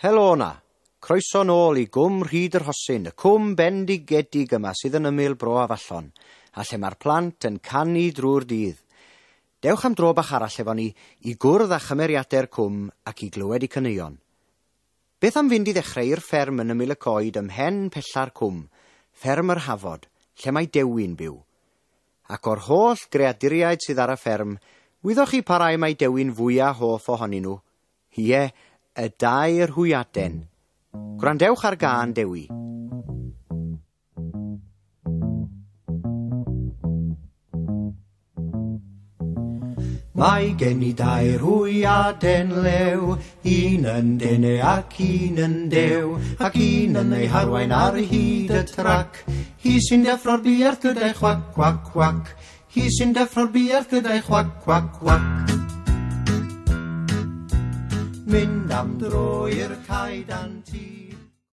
Helo 'na. Croeso nôl i Gwm Rhyd yr Hosyn, y cwm bendigedig yma sydd yn ymyl Bro Afallon, a lle mae'r plant yn canu drwy'r dydd. Dewch am dro bach arall efo ni i gwrdd â chymeriadau'r cwm ac i glywed eu caneuon. Beth am fynd i ddechrau i'r fferm yn ymyl y coed ym mhen pella'r cwm, fferm yr Hafod, lle mae Dewi'n byw. Ac o'r holl greaduriaid sydd ar y fferm, wyddoch chi pa rai mae Dewi'n fwyaf hoff ohonyn nhw? Ie, y dair hwyaden. Gwrandewch ar gân Dewi. Mae gen i dair hwyaden lew, un yn dene ac un yn dew, ac un yn ei harwain ar hyd y trac. Hi sy'n deffro'r buarth gyda'i chwac, cwac, cwac. Hi sy'n deffro'r buarth gyda'i chwac, cwac, cwac. Mynd am dro i'r cae dan tŷ.